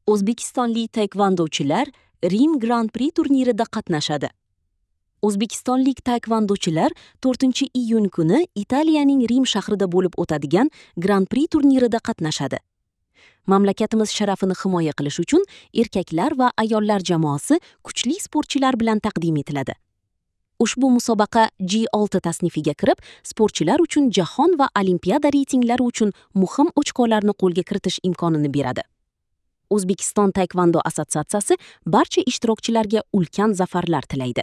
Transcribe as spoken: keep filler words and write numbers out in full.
O'zbekistonlik taekvondochilar Rim Grand Prix turnirida qatnashadi. O'zbekistonlik taekvondochilar to'rtinchi iyun kuni Italiyaning Rim shahrida bo'lib o'tadigan Grand Prix turnirida qatnashadi. Mamlakatimiz sharafini himoya qilish uchun erkaklar va ayollar jamoasi kuchli sportchilar bilan taqdim etiladi. Ushbu musobaqa G olti tasnifiga kirib, sportchilar uchun jahon va olimpiada reytinglari uchun muhim ochkolarni qo'lga kiritish imkonini beradi. O'zbekiston Taekvondo assotsiatsiyasi barcha ishtirokchilarga ulkan zafarlar tilaydi.